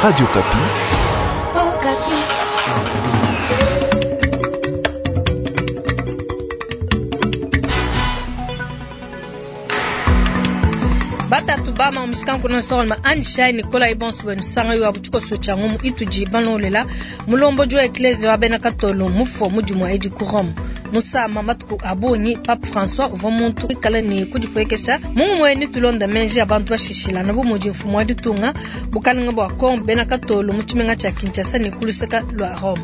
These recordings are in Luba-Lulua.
Radio Okapi. Batatu bama mushikanku na solma anshai nikola ibonso benu sanga yo abuchiko cha ngumu ituji banolela mulombodi wa eklezia wa bena katolo mufo mudimu edi ku Rome musama matuku abunyi Pape François uvua muntu ikala ne kudipuekesha mumue ni tulonda menji abantu bashishilana bu mudi mfumu wa ditunga bukalenga bua Congo bena katolo mu tshimenga tshia Kinshasa ne kuluseka lua Rome.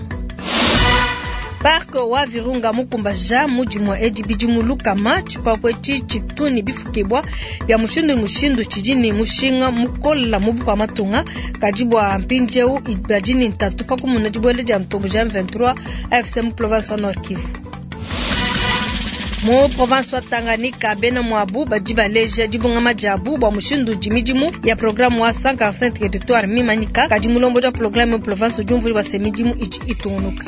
Parc wa Virunga mukumbaja mudimu edi bidimu lukama tshipapu etshi tshitu bifukibwa bya mushindu mushindu tshidi ne mushinga mukola mu bukua matunga kadi bua mpindieu badi ne ntatu pa kumuna dibuela dia ntombo ja M23 AFC mu province wa Nord Kivu. Mu province wa Tanganyika bena mwabu badi baleja dibungama diabu bua mushindu udi midimu ya programme wa 145 territoire mimanyika kadi mulombodi wa programme mu province udi umvua bua se midimu idi itungunuka.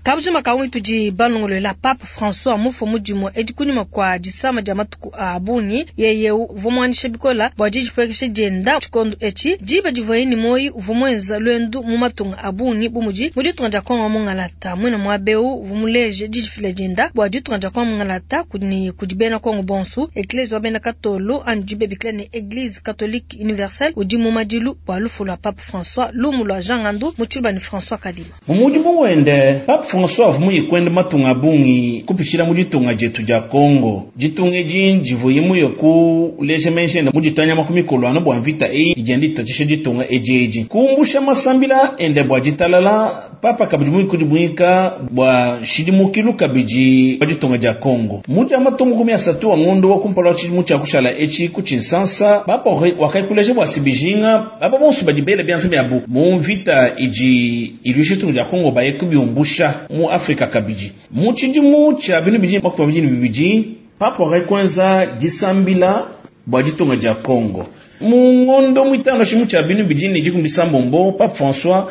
Kabujima kawe tudi balongolola Pape François mufo mudimu edi kunyima kwa disama dia matuku a bungi yeye uvua muanyisha bikola bua didipuekesha dienda tshikondo etshi diba divuaye ne moyi uvua muenza luendu mu matunga a bungi bu mudi mu ditunga dia Kongo mungalata mwina muabeu uvua muleje didifila dienda bua ditunga dia Kongo mungalata kudi kudi bena Kongo bonsu eklezia wa bena Katolo anyi dibebikila ne Eglise Catholique Universelle udi mu madilu bua lufu lua Pape François lumu lua Jean Ngandu mu tshiluba ne François Kadima. Mu mudimu wende Pape François uvua muye kuenda matunga a bungi kupitshila mu ditunga dietu dia Congo. Ditunga edi divuaye muye kuleja menji ende mu ditanya ku mikolo anu bua mvita eyi idi yenda itatshisha ditunga edi edi. Kumbusha masambila ende bua ditalala, Papa kabidi muye kudimuika bua nshidimukilu kabidi wa ditunga dia Congo. Mu dia matunga 30 wa ngondo wa kumpala wa tshidimu tshia kushala etshi ku Tshinsansa, Papa wakaikuleja bua sibijinga aba bonso badi bela bianza biabu mu mvita idi iluisha ditunga dia Congo baye kubiumbusha mu Afrika kabidi. Mu tshidimu tshia binu bidi 22, Papa wakakwenza disambila bua ditunga dia Congo. Mu ngondo mwitano tshimu tshia binu bidi ne dikumi disambombo, Pape François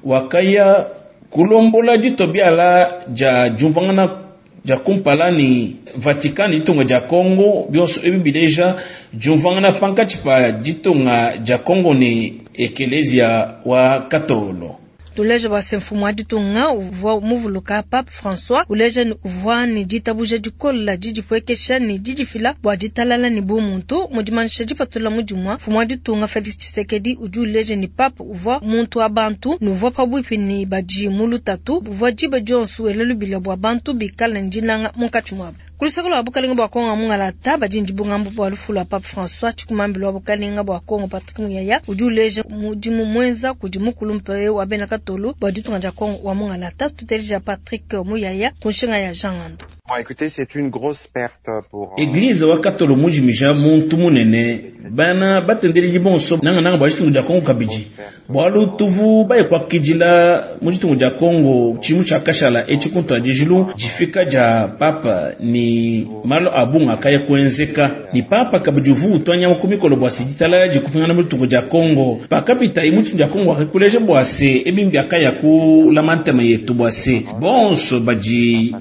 wakaya kulombola ditobiala dia diumvangana dia kumpala ni Vatican ditunga dia Congo bionso ebi bileja diumvangana pankatshi pa ditunga dia Congo ne ekelezia wa Katolo. Tuleja bua se mfumu wa ditunga uvua muvuluka Pape François uleja ni uvua ne ditabuja dikola didipuekesha ne didifila bua ditalala ne bumuntu. Mu dimanyisha dipatula mudimu mfumu wa ditunga Felix Tshisekedi udi uleja ni Pape uvua muntu wa bantu ne uvua pabuipi ne badi mu lutatu uvua diba dionso ela lubila bua bantu bikale ne dinanga munkatshi muabu. Kuluseka lua bukalenga bua Kongo mungalata badi ndibungambu bua lufu lua Pape François tshikumambi lua bukalenga bua Kongo Patrick Muyaya udi uleja mudimu muenza kudi mukulumpe wa bena Katolo bua ditunga dia Kongo wa mungalata. Tuteleja Patrick Muyaya ku nshinga ya Jean Ngando. Bon, écoutez, c'est une grosse perte pour Eglise wa Katolo mujimija muntu munene bana batendeleli bonso nanga nanga bua ditunga dia Kongo kabidi bualu tuvu baye kuakidila mu ditunga dia Kongo tshimu tshia kashala etshi kuntuadijilu difika dia Papa ni malo abunga akaya kuenzeka ni Papa kabidi uvu utwanya ku mikolo bua se ditalala dikupingana mu ditunga dia Kongo pakapita mu ditunga dia Kongo akakuleja bua se ebimbi akaya kulama ntema yetu bua se bonso badi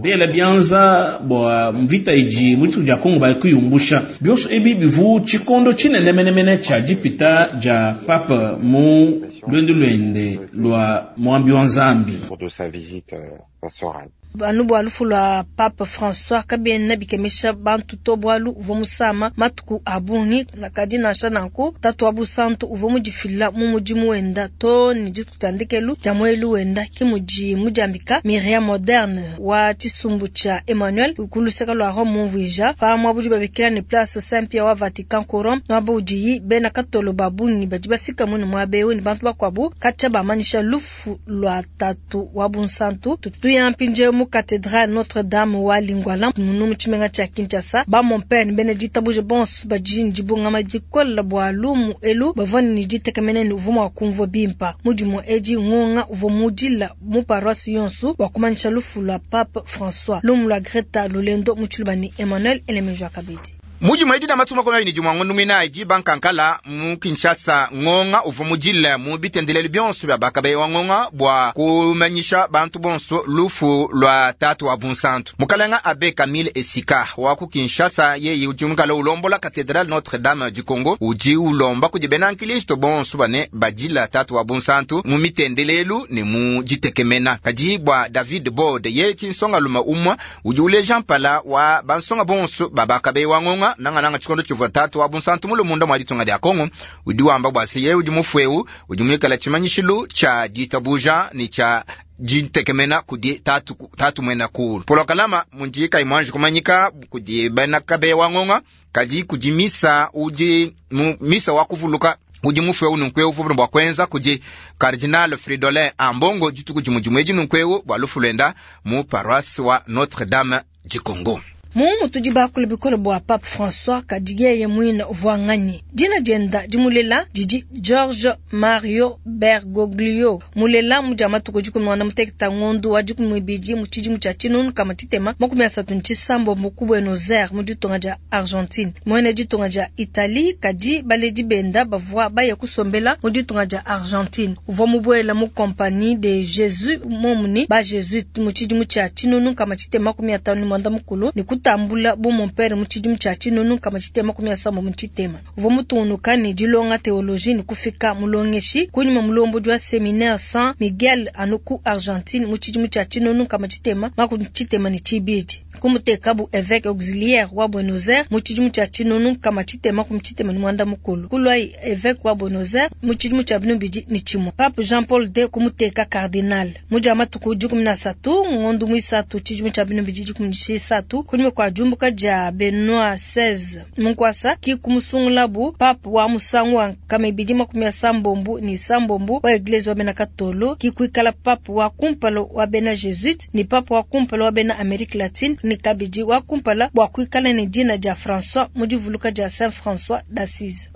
bela bianza bua mvita idi mu ditunga dia Kongo bakuyumbusha bionso ebi bivu tshikondo tshinenemenemene tshia dipita dia Papa mu luendu luende lua muambi wa Nzambi. de sa visite pastorale. Anu bua lufu lua Pape François kabiena bikemesha bantu to bualu uvua musama matuku a bungi kadi nansha nanku tatu wa busantu uvua mudifila mu mudimu wenda to ne dituku dia ndekelu dia muelu wenda ki mudi mudiambika Myriam Moderne wa tshisumbu tshia Emmanuel ku luseka lua Rome mumvuija pa muabudi babikila ne place Saint Pierre wa Vatican ku Rome muaba udiyi bena Katolo ba bungi badi bafika mune muaba eu ne bantu bakuabu katshia bamanyisha lufu lua tatu wa bunsantu. Tutuya mpindieu mu cathédrale Notre-Dame wa Lingwala munu mu tshimenga tshia Kinshasa ba mon père ne bena ditabuja bonso badi ne dibungama dikola bua lumu elu bavua ne ditekemena ne uvua mua kumvua bimpa mudimu edi ngonga uvua mudila mu paroisse yonso bua kumanyisha lufu lua Pape François. Lumu lua Greta Lulendo mu tshiluba ne Emmanuel Elemejo Kabidi. Mu dimue edi dia matuku 21 ngondo muinayi diba nkankala mu Kinshasa, ngonga uvua mudile mu bitendelelu bionso bia bakabeya wa ngonga bua kumanyisha bantu bonso lufu lua tatu wa bunsantu mukalenga Abbé Camille Esika wa ku Kinshasa. Yeye udi mukala ulombola Cathédrale Notre-Dame du Congo, udi ulomba kudi bena nkristo bonso bane badila tatu wa bunsantu mu mitendelelu ne mu ditekemena. Kadi bua David Bode, yeye ki nsongalume umue udi uleja mpala wa bansonga bonso ba bakabeya wa ngonga nangananga tshikondo tshivua tatu wa bunsantu mulu munda mua ditunga dia Kongo, udi wamba bua se yeye udi mufueu udi muikala tshimanyishilu tshia ditabuja ne tshia ditekemena kudi tatu, tatu muena kulu Polo Kalama mundi kayi muanji kumanyika kudi bena kabeya wa ngonga, kadi kudi misa udi mu misa wa kuvuluka udi mufueu nunkueu uvua bua kuenza kudi Cardinal Fridolin Ambongo dituku dimue dimue edi nunkueu bua lufu luenda mu paroisse wa Notre-Dame du Congo. Mumu tudi bakula bikole bua Pape François, kadi yeye muine uvua nganyi? Dina dienda dimulela didi George Mario Bergoglio, mulela mu dia matuku 16 ngondo wa 12 mu tshidimu tshia 1639 ku Buenos Aires mu ditunga dia Argentine. Muena ditunga dia Italie, kadi baledi benda bavua baya kusombela mu ditunga dia Argentine. Uvua mubuela mu Compagnie de Jésus momuni ba Jésuite mu tshidimu tshia 1650 ne kutambula bu mompere mu tshidimu tshia 1670. Uvua mutungunuka ne dilonga théologie ne kufika mulongeshi kunyima mulombodi wa séminaire San Miguel anu ku Argentine mu tshidimu tshia 1672. Kumutekabu évêque auxiliaire wa Buenos Aires mu tshidimu tshia 1690. Kulwayi évêque wa Buenos Aires mu tshidimu tshia 2001. Pape Jean Paul II kumuteka cardinal mu dia matuku 13 ngondo muisatu tshidimu tshia 2013 kunyima kua diumbuka dia Benoit XVI munkwasa ki kumusungulabu pape wa musangu wa 287 wa eglise wa bena Katolo, ki kuikala pape wa kumpala wa bena Jesuite ni pape wa kumpala wa bena Amerique latine ni kabidi wa kumpala bua kuikala ne dina dia François mu divuluka dia Saint François d'Assise.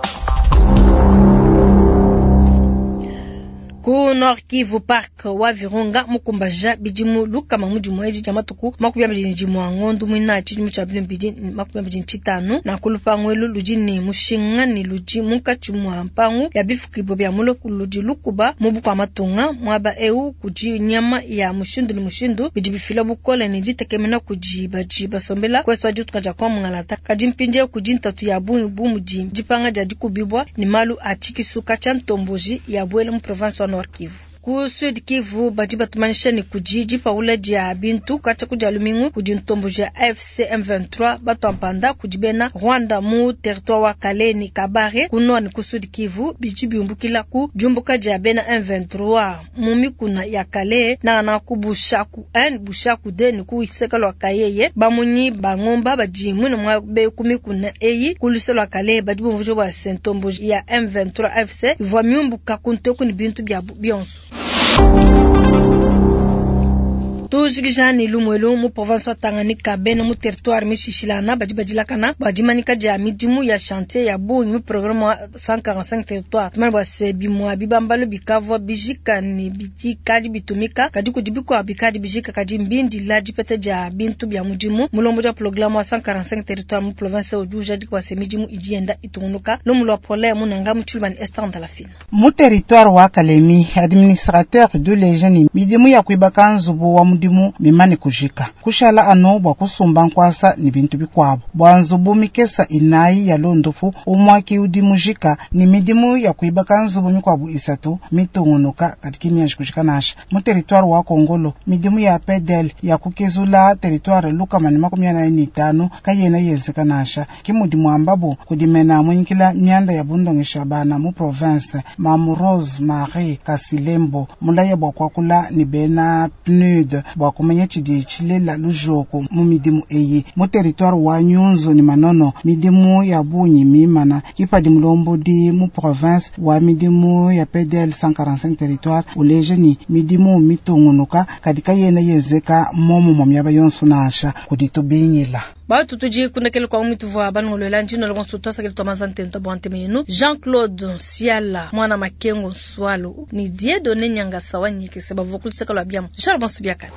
Ku Nord Kivu, parc wa Virunga mukumbaja bidimu lukama mu dimue edi dia matuku 21 ngondo muinayi tshidimu tshia 2025. Nanku lupangu elu ludi ne mushinga ne ludi munkatshi mua mpangu ya bifukibua bia muloku ludi lukuba mu bukua matunga. Muaba eu kudi nyama ya mushindu ne mushindu bidi bifila bukole ne ditekemena kudi badi basombela kuesu wa ditunga dia Kongo Mungalata. Kadi mpindieu kudi ntatu ya bungi bu mudi dipanga dia dikubibua ne malu a tshikisuka tshia ntomboji ya buela mu province wa Nord Kivu. Ku Sud Kivu badi batumanyisha ne kudi dipaula dia bintu katshia ku dia lumingu kudi ntomboji ya AFC M23 batuampanda kudi bena Rwanda mu territoire wa Kale ne Kabare ku Nord ne ku Sud Kivu, bidi biumbukila ku diumbuka dia bena M23 mu mikuna ya Kale nangana ku Bushaku 1 Bushaku 2 ne ku luseke lua Kayeye. Bamunyi ba ngomba badi muine muabe ku mikuna eyi ku luseke lua Kale badi bumvuija bua se ntomboji ya M23 AFC ivua miumbuka ku nteku ne bintu biabu bionso. Tujikijani lumuelu mu province wa Tanganyika, bena mu territoire mishishilana badi badilakana bua dimanyika dia midimu ya chantier ya bungi mu programme wa 145 territoire. Tumanye bua se bimua bibambalu bikavua bijika ne bikadi bitumika, kadi kudi bikuabu bikadi bijika kadi mbindila dipeta dia bintu bia mudimu. Mulombodi wa programme wa 145 territoire mu province udi ujadika bua se midimu idi yenda itungunuka. Lumu lua Pole Munanga mu Tshilumani Esther Ndalafina. Mu territoire wa Kalemi, administrateur du lejeni midimu ya kuibaka nzubu wa mudimu mimane kujika kushala anu bua kusumba nkwasa ni bintu bikuabu bua nzubu mikesa inayi ya londopu umwaki udi mujika ni midimu ya kuibaka nzubu mikuabu isatu mitungunuka katika mianji kujika nasha. Mu territoire wa Kongolo midimu ya PDL ya kukezula territoire lukama ni 45 kayena yenzeka nasha kimudi mwambabu kudimena mwinkila mianda ya bundongesha bana mu province Mamu Rose Marie Kasilembo mulaya bua kwakula ni bena PNUD bua kumanya tshidi tshilela lujoko mu midimu eyi mu territoire wa Nyunzu ni Manono midimu ya bunyi mimana kipadi mulombodi mu province wa midimu ya PDL 145 territoire uleje ni midimu mitungunuka kadika yena yezeka momo mwa miaba yonso nasha kuditubinyila. Batu tudi kundekele kwa umitu vwa banongolola njino longo twasakele twa mazantento bwa nteme yenu Jean-Claude Siala mwana Makengo Nswalo ni Dieudonné Nyangasa wa Nyekese bavua kuluseka lwa biamu Charles Bonsu Biakane.